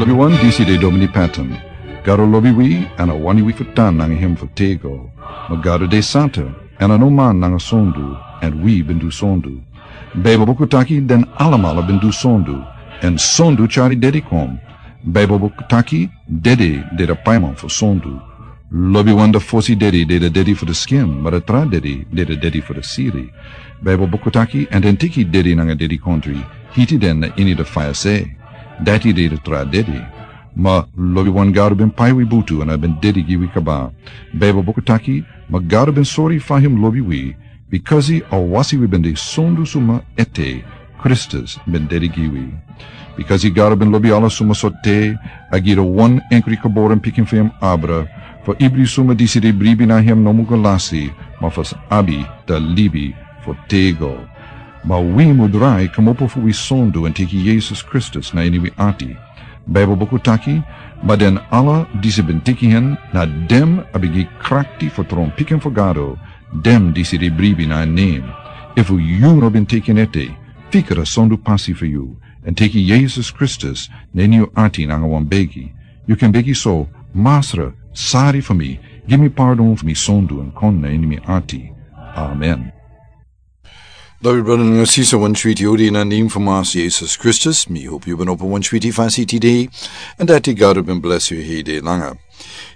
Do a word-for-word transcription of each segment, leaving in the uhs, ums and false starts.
Lobiwan, disi de Domini Patton. Gado lobi wi, èn a wani wi fu tan nanga hem fu tego. Ma Gado de santa, èn a no man nanga sondu, èn wi ben du sondu. Baibel buku taki den alamala ben du sondu, èn sondu tyari dede kon. Baibel buku taki dede de da paiman fu sondu. Lobiwan, da fosi dede de da dede fu da skin, ma da tra dede de da dede fu da siri. Baibel buku taki, èn den teki dede nanga dedikontri, hiti den na ini da faya se. Dati de da tra dede. Ma lobiwan, Gado ben pai wi butu èn a ben dede gi wi kaba. Baibel buku taki, ma Gado ben sori fa hem lobi wi, bikasi a wasi wi ben de sondu suma ete, Kristus ben dede gi wi. Bikasi Gado ben lobi ala suma so te, a gi da wan enkri geboren pikin fu hem abra, fu ibri suma disi de bribi na hem no mu go lasi, ma fu sa abi da libi fu tego. Ma wi mu drai kmopo fu wi sondu èn teki Yesus Kristus na ini wi ati. Baibel buku taki, ma den ala disi ben teki hen, na den a ben gi krakti fu tron pikin fu Gado, den disi de bribi na en nen. Efu yu no ben teki en ete, fika da sondu pasi fu yu, èn teki Yesus Kristus na ini yu ati nanga wan begi. Yu kan begi so: Masra, sari fu mi, gi mi pardon fu mi sondu èn kon na ini mi ati. Amen. Lobi brada nanga sisa, wan switi odi na nen fu Masra Yesus Kristus. Mi hopi yu ben opo wan switi fasi tide, èn dati Gado ben blesi yu hei de langa.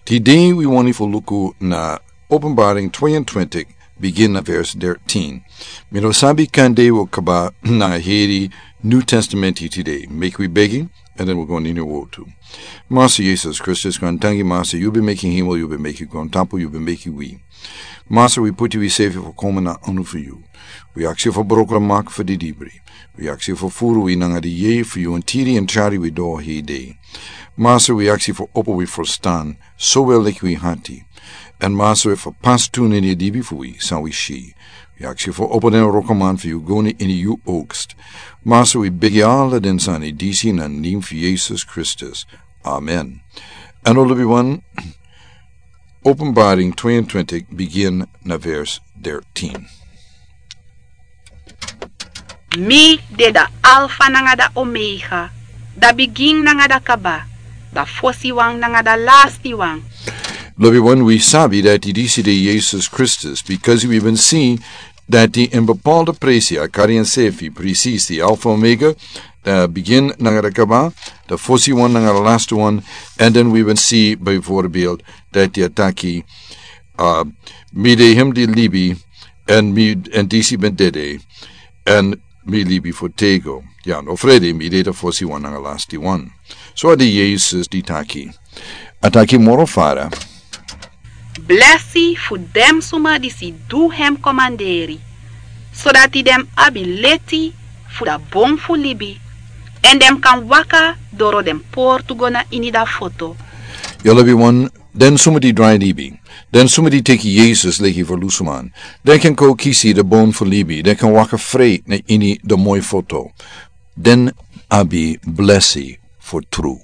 Tide wi wani fu luku na Openbaring tweeëntwintig, begin na vers dertien. Mi no sabi kande wi o kaba nanga heri New Testament tide. Meki wi begi, èn den wi go na ini wortu. Masra Yesus Kristus, kon tangi Masra, yu ben meki hemel, yu ben meki grontapu, yu ben meki wi. Masra, wi puti wi sefi fu kon na ini fu yu. Wi aksi fu broko mak fu di dibri. Wi aksi fu furu wi nanga di yeye fu yu èn tiri èn tyari wi doro hei de. Masra, wi aksi fu opo wi ferstan, sowel leki wi ati. Èn Masra, fu pasi tu na ini libi fu wi san wi si. Wi aksi fu opo den wrokoman fu yu go na ini yu oogst. Masra, wi begi ala den sani disi na nen fu Yesus Kristus. Amen. Èn lobiwan, Openbaring tweeëntwintig, begin na vers dertien. Mi de da Alfa nanga da Omega, da bigin nanga da kaba, da fosiwan nanga da lastiwan. Lobiwan, wi sabi dati disi de Yesus Kristus, bikasi wi ben si dati ini bepaalde presi a kari ensefi presisi Alfa, Omega, da bigin nanga da kaba, da fosiwan nanga da lastiwan. Èn den wi ben si bijvoorbeeld dati a taki, a, mi de hem di libi, èn mi, èn disi ben dede, èn mi libi fu tego. Ya, no frede, mi de da fosiwan nanga da lastiwan. So a de Yesus di taki. A taki moro fara. Blesi fu den suma disi du hem komanderi, sodati den abi leti fu da bon fu libi, èn den kan waka doro den portu go na ini da foto. Ya, lobiwan, den suma di drai libi, den suma di teki Yesus leki verlosinman, den kan kon kisi da bon fu libi, den kan waka fri na ini da moi foto. Den abi blesi fu tru.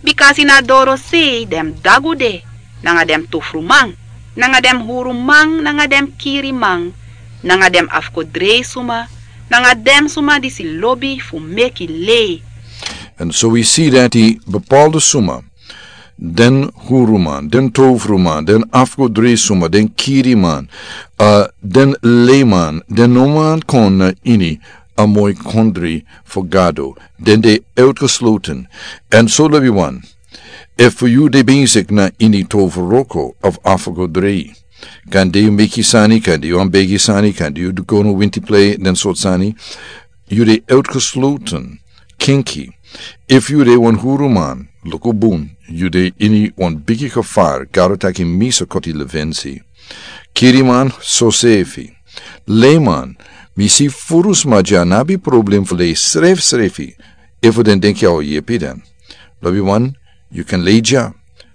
Bikasi na dorosei den dagu de, nanga den tofruman, nanga den huruman, nanga den kiriman, nanga den afkodreisuma, nanga den suma disi lobi fu meki lei. Èn so wi si dati bepaalde suma, den huruman, den tofruman, den afkodreisuma, den kiriman, a, den leiman, den no man kon na ini a moi kondre fu Gado, den de uitgesloten. Èn so lobiwan, efu yu de bezig na ini toverwroko of afgodrei, kande yu meki sani, kande yu wan begi sani, kande yu go na winti plei, den sortu sani, yu de uitgesloten, kinki. Efu yu de wan huruman, luku bun, yu de ini wan bigi gevaar, Gado taki mi sa koti liwensi. Kiriman, sosefi. Leiman, mi si furu sma dya no abi problem fu lei srefsrefi, efu den denki a o yepi den. Lobiwan, yu kan lei dya,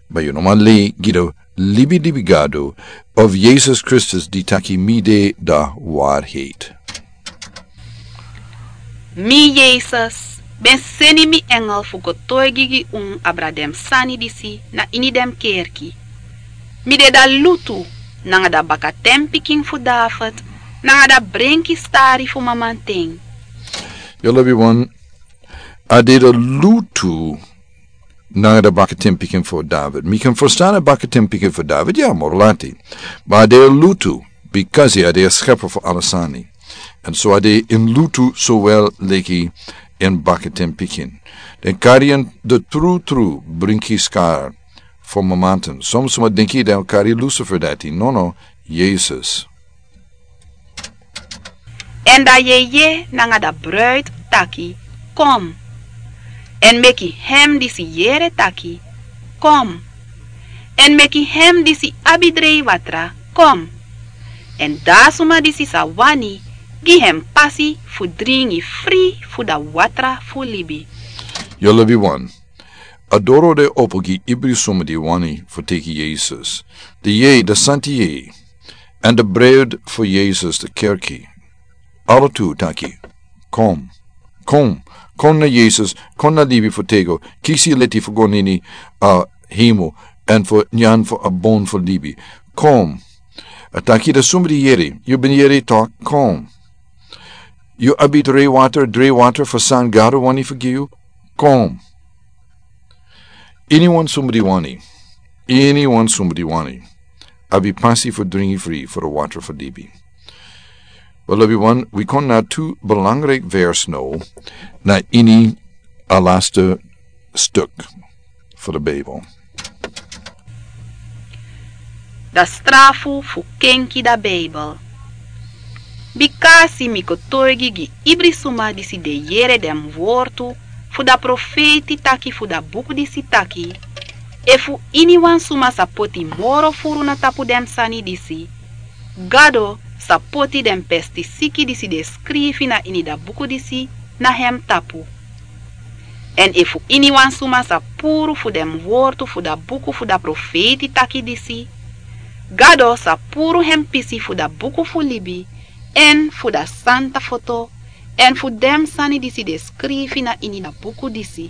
ma yu no man lei gi da libi libi Gado, of Yesus Kristus di taki mi de da waarheid. Mi Yesus ben seni mi engel fu go toigi gi un abra den sani disi na ini den kerki. Mi de da lutu, nanga da bakatenpikin fu David, nanga da brenki stari fu mamanten. Yu lobiwan, A de de lutu nanga de bakatin pikin fu David. Mi kan ferstan a bakatin pikin fu David, ya, moro lati. Ma a de lutu, bikasi a de a skeper fu ala sani. Èn so a de ini lutu sowel leki ini bakatin pikin. Den kari en de tru tru brinki skar fu mamanten. Son suma denki den o kari Lucifer dati. Nono, Yesus. Èn da yeye nanga da bruid taki: Kon. Èn meki hem disi yere taki: Kon. Èn meki hem disi abi drei watra kon. Èn da suma disi sa wani, gi hem pasi fu dringi fri fu da watra fu libi. Yu lobi wan. A doro de opo gi ibri suma di wani fu teki Yesus. De yeye, de santi yeye, èn de bruid fu Yesus, de kerki. Ala tu taki: Kon. Kon. Kon na Yesus, kon na libi fu tego, kisi leti fu go na ini a hemel, èn fu nyan fu a bon fu libi. Kon. A taki da suma di yere, yu ben yere tok, kon. Yu abi drei watra, drei watra fu san Gado wani fu gi yu, kon. Iniwan suma di wani, iniwan suma di wani, abi pasi fu dringi fri fu da watra fu libi. Wel, lobi wan, wi kon na tu belangrijk vers now, na ini a laste stuk fu de Bijbel. Da strafu fu kenki da Bijbel. Bikasi mi kotoigi gi ibri suma disi de yere den wortu fu da profeiti taki fu da buku disi taki: Efu iniwan suma sa poti moro furu na tapu den sani disi, Gado sa poti den pestisiki disi de skrifi na ini da buku disi na hem tapu. Èn efu iniwan suma sa puru fu den wortu fu da buku fu da profeiti taki disi, Gado sa puru hem pisi fu da buku fu libi, èn fu da santa foto, èn fu den sani disi de skrifi na ini da buku disi.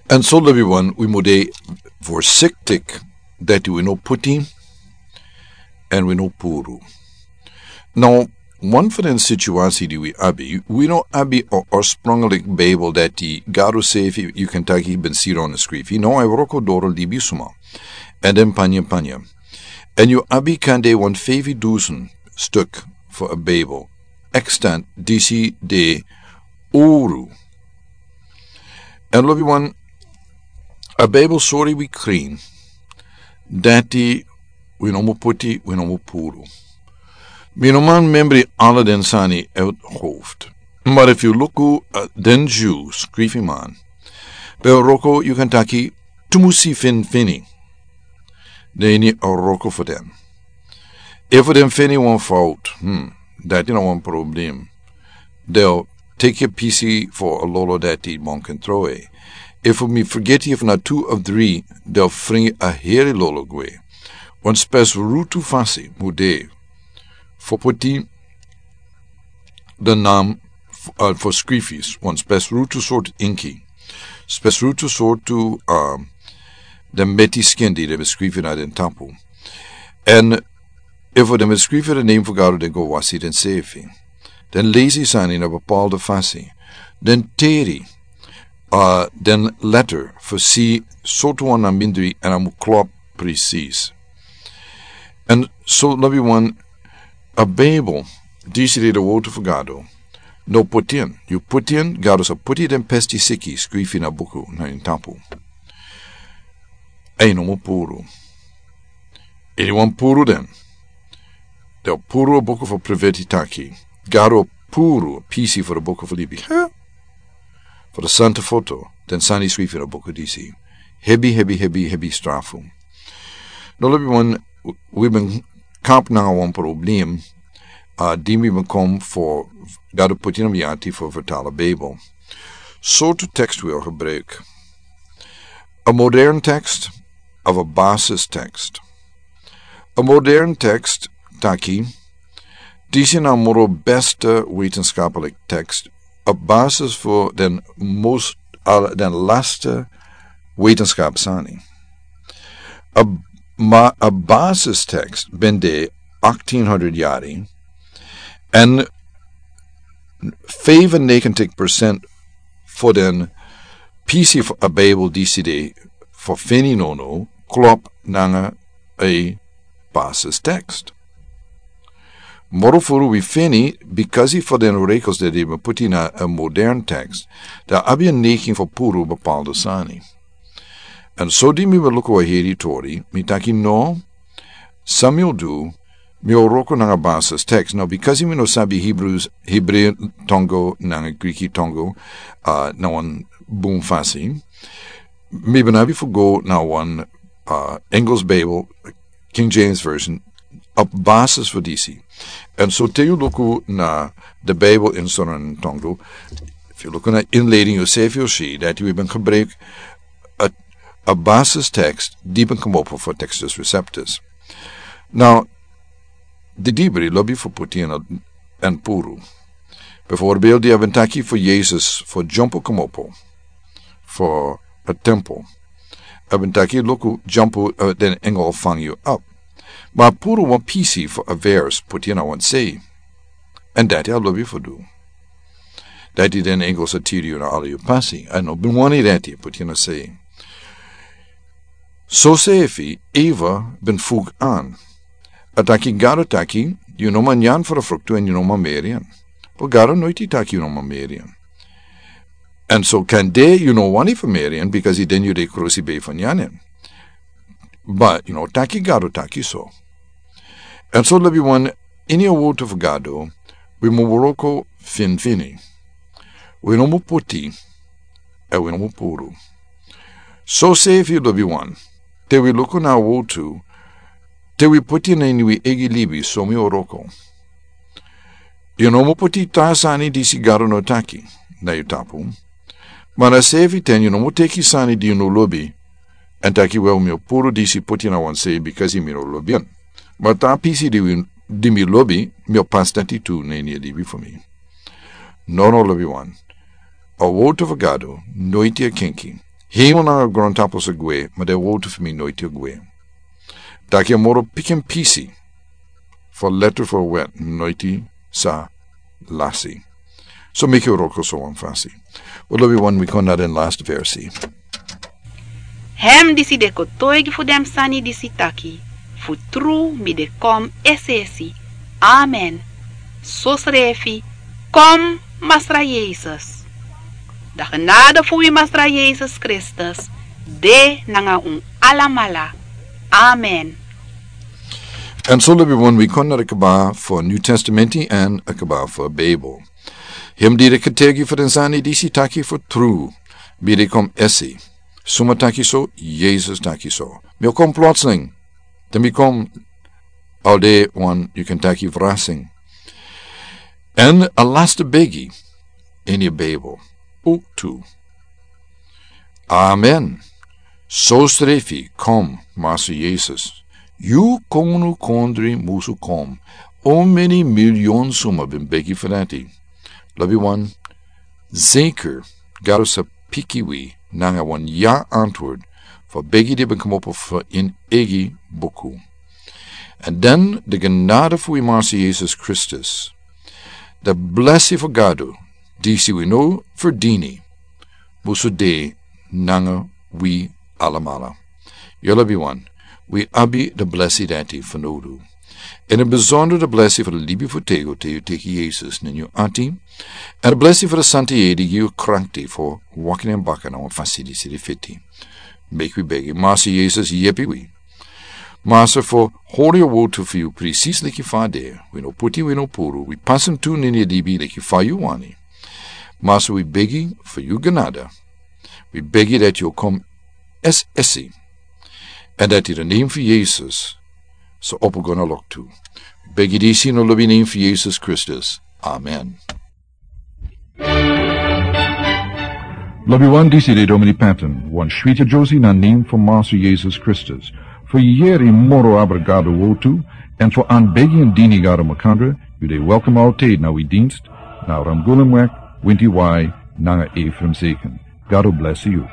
Èn so, lobi wan, wi mu de voorzichtig dati wi no poti èn wi no puru. Now, wan fu den situasi di wi abi, wi no abi a oorspronkelijk Bijbel dati Gado srefi, yu kan taki, ben sidon skrifi. No, a wroko doro libisma. Èn den panya panya. Èn yu abi kande wan feifi dusen stuk fu a Bijbel. Extant disi de uru. Èn lobi wan, a Bijbel sori wi krin dati wi no mu poti, wi no mu puru. Mi no man memri ala den sani uit hoofd. Maar efu yu luku, uh, den Jew skrifi man, ben wroko, yu kan taki, tu musi fen feni. Den ini a wroko fu den. Efu den feni wan fout, hmm, dati na wan problem. Den o teki a pisi fu a lolo dati man kan trowe. Efu mi fergeti efu na tu of dri, den o fringi a heri lolo gwe. Wan spesrutu fasi mu de fu poti den nam, uh, fu skrifi, wan spesrutu sortu inki. Spesrutu sortu, um, den meti skin di den ben skrifi na den tapu. Èn efu den ben skrifi den nen fu Gado, den go wasi densrefi. Den lesi sani na bepaalde fasi. Den teri, uh, den letter fu si sortu wan na mindri èn a mu klop presis. Èn so, lobi wan, a Bijbel, disi de de wortu fu Gado, no poti en. Yu poti en, Gado sa poti den pestisiki skrifi na buku na ini tapu. Èn no mu puru. Iniwan puru den, den o puru a buku fu profeiti taki. Gado o puru a pisi fu a buku fu libi. Huh? Fu da santa foto, den sani skrifi na buku disi. Hebi, hebi, hebi, hebi strafu. No, lobi wan, wi ben kamp nanga wan problem, uh, di mi ben kon fu Gado poti na mi ati fu vertalen Bijbel. Sortu tekst wi o gebruik. A modern tekst of a basis tekst. A modern tekst taki, disi na moro beste wetenschappelijk tekst, a basis fu den most, al den laste wetenschap sani. A, ma a basistekst ben de achttien honderd yari, en vijfennegentig procent fu den pisi fu a Bijbel disi de fu feni nono klop nanga a basis tekst. Moro furu wi feni, bikasi fu den regels dati den ben puti na a modern tekst, dan a abi a neiging fu puru bepaalde sani. Èn so di mi ben luku a heri tori, mi taki no, san mi o du, mi o wroko nanga basis tekst. Now, bikasi mi no sabi Hebrews, Hebrew tongo nanga Griki tongo, uh, na wan bun fasi, mi ben abi fu go na wan, uh, Engels Bijbel, King James Version, a basis fu disi. Èn so te yu luku na de Bijbel in Sranan tongo, efu yu luku na inleiding, yu sefi o si dati wi ben gebruik a, a basis tekst di ben komopo fu Textus Receptus. Now, di dibri lobi fu puti ini a, èn puru. Bijvoorbeeld, di a ben taki fu Yesus fu dyompo komopo fu a tempel. A ben taki luku dyompo, uh, den engel o fangi yu op. Ma a puru wan pisi fu a vers puti ini a wan sei. Èn dati a lobi fu du. Dati den engel sa tiri yu na ala yu pasi. A no ben wani dati puti ini a sei. So sefi Eva ben fug an. A taki Gado taki, yu no man nyan fu a fruktu èn yu no man meri en. But Gado noiti taki yu no man meri en. Èn so kande yu no wani fu meri en, bikasi den yu de krusi bei fu nyan en. But, yu no taki Gado taki so. Èn so lobi wan, ini a wowtu fu Gado, wi mu wroko finfini. Wi no mu puti, èn wi no mu puru. So sefi lobi wan, te wi luku na a wowtu, te wi puti na ini wi eigi libi so mi o wroko. Yu no mu puti tra sani disi Gado no taki, na yu tapu. Ma na sefi ten yu no mu teki sani di yu no lobi, èn taki wel mi o puru disi puti na wan sei bikasi mi no lobi en. Ma tra pisi di wi, di mi lobi, mi o pasi dati tu na ini a libi fu mi. No, no, lobi wan. A wowtu fu Gado noiti e kenki. Hemel nanga grontapu sa gwe, ma den wowtu fu mi noiti e gwe. Dati a moro pikin pisi fu a letter fu a wet noiti sa lasi. So meki wi wroko so wan fasi. Wi lobi wan, wi kon na den last versi. Hem disi de kotoigi fu den sani disi taki, fu tru mi de kon esi esi. Amen. So srefi, kon Masra Yesus. Dan genade fu wi Masra Yesus Kristus de nanga un alamala. Amen. Èn so lobi wan, wi kon na a kaba fu New Testamenti èn a kaba fu Bijbel. Hem di de kotoigi fu den sani disi taki fu tru, mi de kon esi. Suma taki so? Yesus taki so. Mi o kon plotseling. Dan mi kon al de wan, yu kan taki, verrassing. Èn a laste begi ini a Bijbel. Ook tu. Amen. So srefi, kom, Masra Yesus. Yu konu kondre musu kom. Omeni milyon suma ben begi fu dati. Lobi wan, zeker, Gado sa piki wi nanga wan ya antwoord fu a begi di ben komopo fu en eigi buku. Èn dan de genade fu wi Masra Yesus Kristus, de blesi fu Gado, disi wi no ferdini, musu de nanga wi alamala. Yu lobi wan, wi abi de blesi dati fanowdu. Èn a besonder de blesi fu de libi fu tego te yu teki Yesus na yu ati. Èn de blesi fu de Santa Yeye di gi yu krakti fu waka ini en baka na wan fasi disi di fiti. Meki wi begi, Masra Yesus, yepi wi. Masra, fu hori a wowtu fu yu precies leki fa a de. Wi no puti, wi no puru, wi pasi en tu na ini a libi leki fa yu wani. Masra, wi begi fu yu genade. Wi begi dati yu o kon esi esi. Èn dati de nen fu Yesus sa opo go na loktu. Wi begi disi na lobi nen fu Yesus Kristus. Amen. Lobi wan, disi de Domini Patton, wan switi dyomsi na nen fu Masra Yesus Kristus. Fu yere moro abra Gado wowtu, èn fu anbegi èn dini Gado makandra, yu de welkom altijd na wi dienst, na Ramgoolimweg, Winti Wai, nanga Ephraim Zeken. Gado blesi yu.